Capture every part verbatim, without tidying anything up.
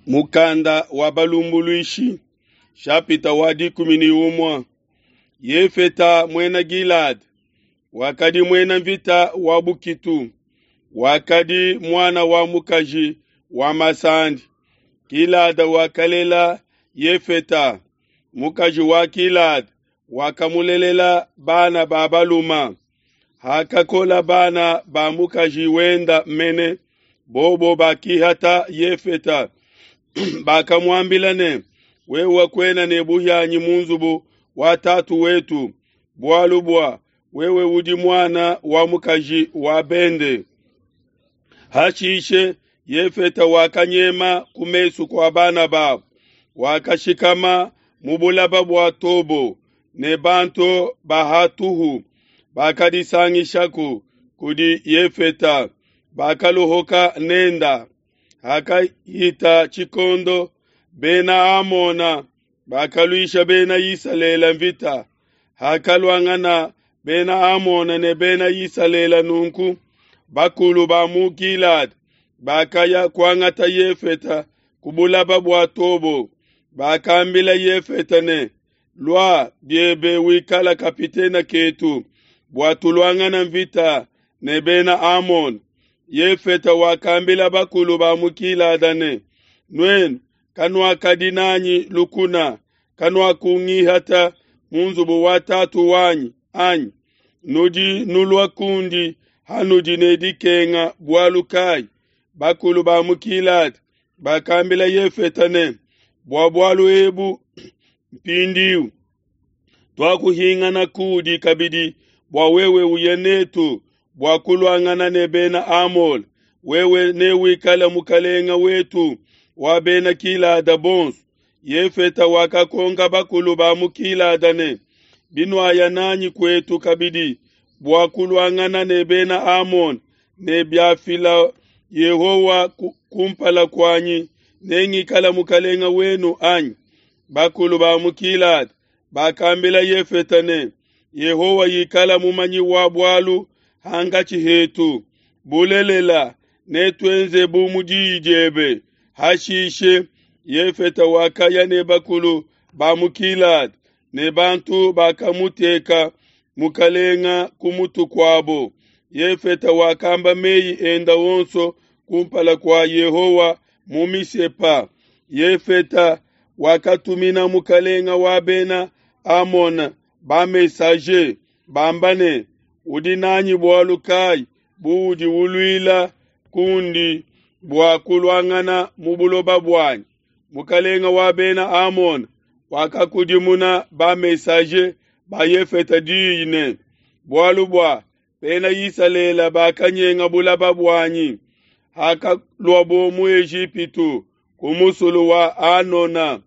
Mukanda wa balumbuluishi shapita wa dikumi ne umue Yefeta muena Gilada wakadi muena mvita wa bukitu, wakadi muana wa mukaji wa masandi. Gilada wakalela Yefeta, mukaji wa Gilada wakamulelela bana ba baluma. Hakakola bana ba mukaji wenda mene, bobo bakihata Yefeta bakamuambila ne, wewe kuena ne buhianyi mu nzubu wa tatu wetu, bualu bua wewe udi muana wa mukaji wa bende. Hashishe Yefeta wakanyema ku mesu kua bana babo, wakashikama mu bulaba bua Tobo, ne bantu ba hatuhu bakadisangishaku kudi Yefeta, bakaluhuka nenda. Hakahita tshikondo, Bena Amona bakaluisha Bena Isalele mvita. Hakaluangana Bena Amona ne Bena Isalele nunku, bakulu ba mu Gilada bakaya kuangata Yefeta ku bulaba bua Tobo. Bakambila Yefeta ne, lua biebe wikala kapitena ketu bua tuluangana mvita ne Bena Amona. Yefeta wakambila bakulu ba mu Gilada ne, nuenu kanuakadi nanyi lukuna, kanuakungihata mu nzubu wa tatu wanyi anyi? Nudi nulua kundi hanudi ne dikenga bualu kai? Bakulu ba mu Gilada bakambila Yefeta ne, bua bualu ebu mpindiu tuakuhingana kudi kabidi bua wewe uye netu bua kuluangana ne Bena Amole, wewe newikale mukalenga wetu wa Bena Gilada bonso. Yefeta wakakonka bakulu ba mu Gilada ne, binuaya nanyi kuetu kabidi bua kuluangana ne Bena Amone, ne biafila Yehowa kumpala kuanyi, nengikala mukalenga wenu anyi? Bakulu ba mu Gilada bakambila Yefeta ne, Yehowa ikala mumanyi wa bualu hangatshi hetu, bulelela netuenze bu mu diyi diebe. Hashishe Yefeta wakaya ne bakulu ba mu Gilada, ne bantu bakamuteka mukalenga ku mutu kuabo. Yefeta wakamba meyi enda onso kumpala kua Yehowa mu Misepa. Yefeta wakatumina mukalenga wa Bena Amona ba messager bamba ne, udi nanyi bualu kai buudi uluila kundi bua kuluangana mu buloba buanyi? Mukalenga wa Bena Amona wakakudimuna ba messager ba Yefeta diyi ne, bualu bua Bena Isalele bakanyenga bulaba buanyi hakaluabo mu Ejipitu ku musulu wa Anona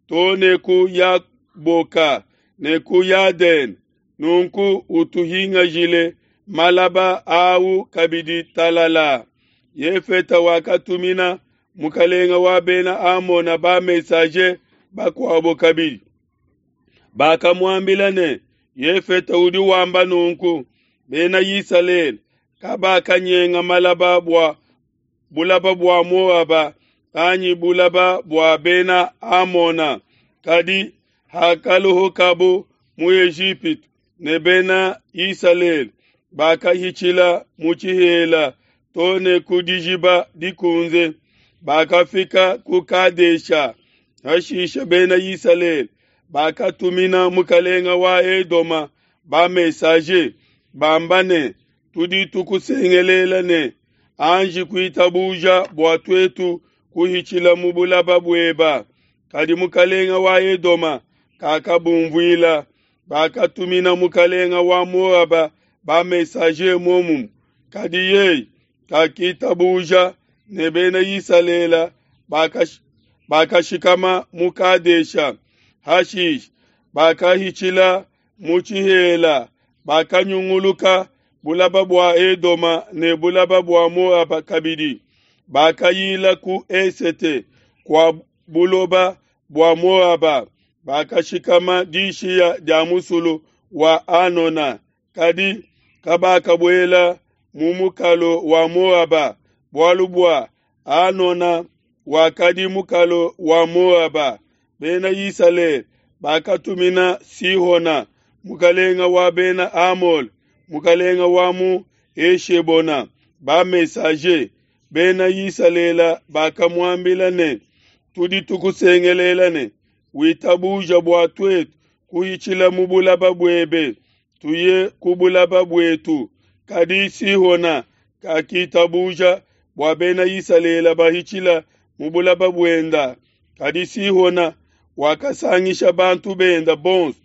to ne ku Yaboka ne ku Yadene, nunku utuhingajile malaba au kabidi talala. Yefeta wakatumina mukalenga wa Bena Amona ba messager bakuabo kabidi, bakamuambila ne, Yefeta udi wamba nunku, Bena Isalele kabakanyenga malaba bua bulaba bua Moaba anyi bulaba bua Bena Amona, kadi hakaluhukabo mu Ejipitu ne Bena Isalele bakahitshila mu tshihela to ne ku dijiba dikunze, bakafika ku Kadesha. Hashishe Bena Isalele bakatumina mukalenga wa Edoma ba messager bamba ne, tudi tukusengelela ne, anji kuitabuja bua tuetu kuhitshila mu bulaba bueba. Kadi mukalenga wa Edoma kakabumvuila. Bakatumina mukalenga wa Moaba ba messager momumue, kadi yeye kakitabuja ne Bena Isalele bakash, bakashikama mu Kadesha. Hashishe bakahitshila mu tshihela, bakanyunguluka bulaba bua Edoma ne bulaba bua Moaba kabidi, bakayila ku esete kua buloba bua Moaba, bakashikama dishiya dia musulu wa Anona, kadi kabakabuela mu mukalo wa Moaba, bualu bua Anona wakadi mukalo wa Moaba. Bena Isalele bakatumina Sihona, mukalenga wa Bena Amole, mukalenga wa mu Eshebona, ba-messager. Bena Isalele bakamuambila ne, tudi tukusengelela ne, witabuja bua tuetu kuhitshila mu bulaba buebe, tuye ku bulaba buetu. Kadi Sihona kakitabuja bua Bena Isalele bahitshila mu bulaba buenda. Kadi Sihona wakasangisha bantu benda bonso,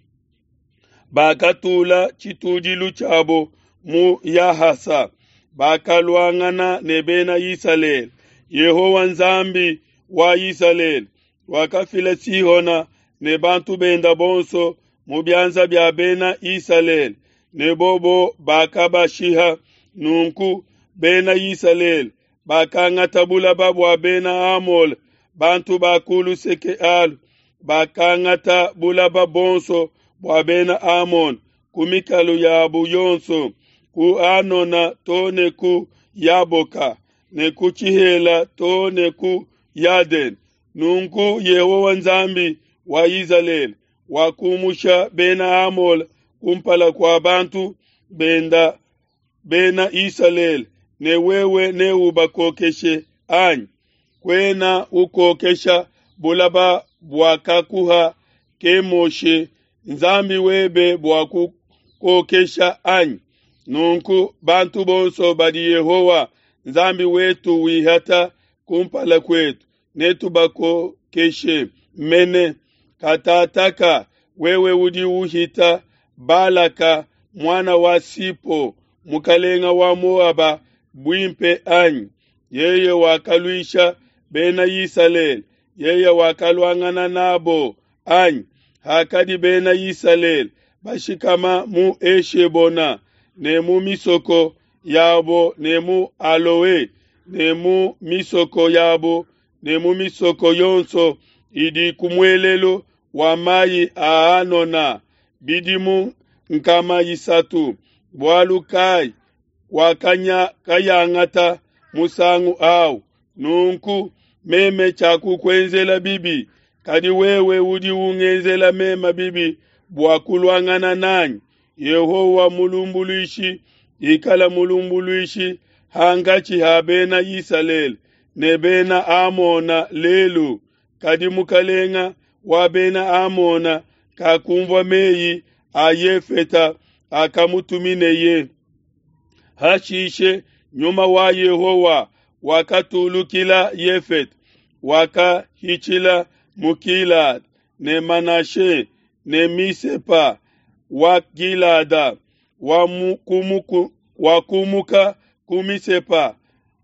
bakatula tshitudilu tshiabo mu Yahasa, bakaluangana ne Bena Isalele. Yehowa Nzambi wa Isalele wakafila Sihona ne bantu benda bonso mu bianza bia Bena Isalele, ne bobo bakabashiha. Nunku Bena Isalele bakangata bulaba bua Bena Amole, bantu ba ku luseke alu, bakangata bulaba bonso bua Bena Amone ku mikalu yabu yonso, ku Anona to ne ku Yaboka, ne ku Tshihela to ne ku Yadene. Nunku Yehowa Nzambi wa Isalele wakumusha Bena Amole kumpala kua bantu benda Bena Isalele, ne wewe neubakokeshe anyi? Kwena ukokesha bulaba buakakuha Kemoshe Nzambi webe bua kukokesha anyi? Nunku bantu bonso badi Yehowa Nzambi wetu wihata kumpala kwetu, netubakokeshe mene. Katataka wewe udi uhita Balaka mwana wa Sipo mukalenga wa Moaba buimpe anyi? Yeye wakaluisha Bena Isalele, yeye wakaluangana nabo anyi? Hakadi Bena Isalele bashikama mu Eshebona ne mu misoko yabo, ne mu Aloe ne mu misoko yabo, ne mu misoko yonso idi ku muelelu wa mayi a Anona, bidimu nkama isatu, bualu kai wakayangata musangu awu? Nunku meme tshiakukuenzela bibi, kadi wewe udi ungenzela meme bibi bua kuluangana nanyi. Yehowa mulumbuluishi, ikala mulumbuluishi hangatshi ha Bena Isalele ne Bena Amona lelu. Kadi mukalenga wa Bena Amona kakumvua meyi a Yefeta akamutumineye. Hashishe nyuma wa Yehowa wakatulukila Yefeta, wakahitshila mu Gilada ne Manashe ne Misepa wa Gilada, wakumuka ku Misepa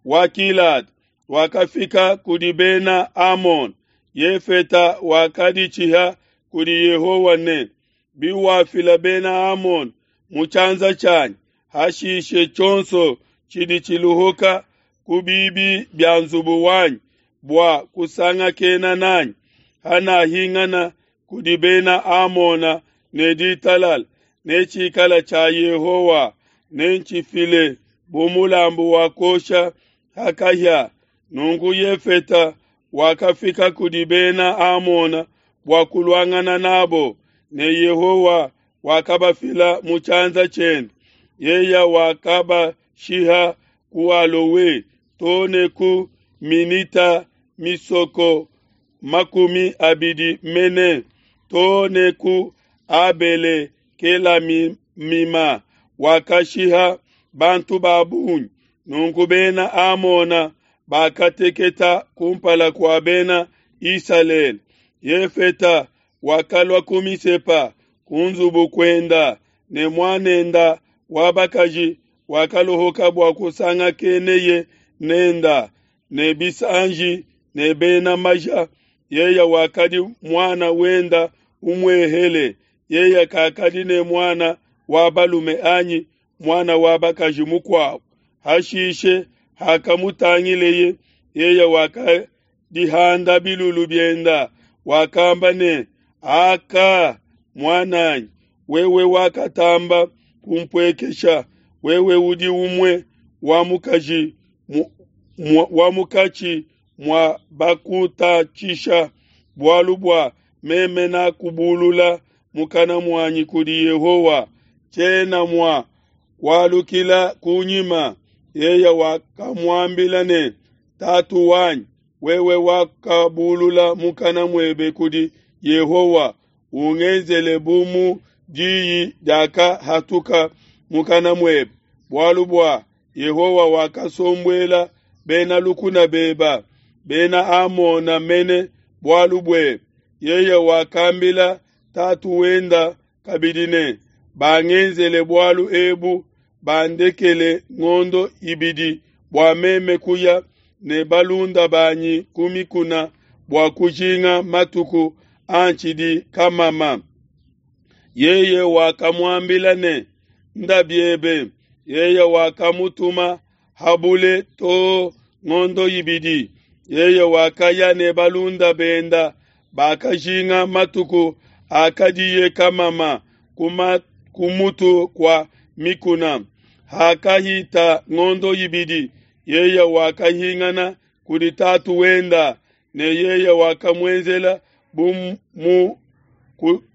wa Gilada, wakafika kudi Bena Amon. Yefeta wakaditshiha kudi Yehowa ne, biwafila Bena Amon mu tshianza tshianyi, hashishe tshionso tshidi tshiluhuka ku bibi bia nzubu wanyi bua kusangakena nanyi, hanahingana kudi Bena Amona ne ditalala, ne tshikala tshia Yehowa, nentshifile bu mulambu wa kuosha ha kahia. Nunku Yefeta wakafika kudi Bena Amona bua kuluangana nabo, ne Yehowa wakabafila mu tshianza tshiende. Yeye wakabashiha ku Alowe to ne ku Minita misoko makumi abidi mene, to ne ku Abele Kelamima, wakashiha bantu ba bungi. Nunku Bena Amona bakateketa kumpala kua Bena Isalele. Yefeta wakalua ku Misepa ku nzubu kuenda, ne muanenda wa bakaji wakalohoka bua kusangakeneye nenda ne bisanji ne bena maja. Yeye wakadi muana wenda umuehele, yeye kakadi ne muana wa balume anyi muana wa bakaji mukuabo. Hashishe hakamutangileye, yeye wakadihanda bilulu bienda, wakamba ne, aka muananyi, wewe wakatamba kumpuekesha, wewe udi umue wa mukaji wa mukatshi mua bakutatshisha, bualu bua meme nakubulula mukana muanyi kudi Yehowa, tshiena mua kualukila kunyima. Yeye wakamuambila ne, Tatu wanyi, wewe wakabulula mukana muebe kudi Yehowa, ungenzele bu mu diyi diakahatuka mukana muebe, bualu bua Yehowa wakasombuela bena lukuna beba, Bena Amona mene, bualu buebe. Yeye wakambila tatu wenda kabidi ne, Bangenzele bualu ebu, bandekele ngondo ibidi bua meme kuya ne balunda banyi ku mikuna bua kujinga matuku antshidi kamama. Yeye wakamuambila ne, Nda biebe. Yeye wakamutuma ha bule too ngondo ibidi. Yeye wakaya ne balunda benda, bakajinga matuku akadiye kamama ku mutu kua mikuna. Hakahita ngondo ibidi, yeye wakahingana kudi tatu wenda, ne yeye wakamuenzela bu mu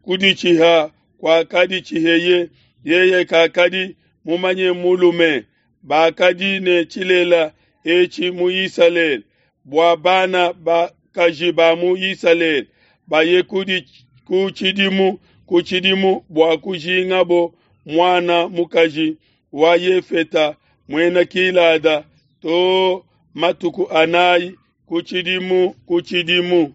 kuditshiha kuakaditshiheye. Yeye kakadi mumanye mulume. Bakadi ne tshilela etshi mu Isalele, bua bana bakaji ba mu Isalele baye ku tshidimu ku tshidimu bua kujingabo muana mukaji wa Yefeta muena Gilada too matuku anayi ku tshidimu ku tshidimu.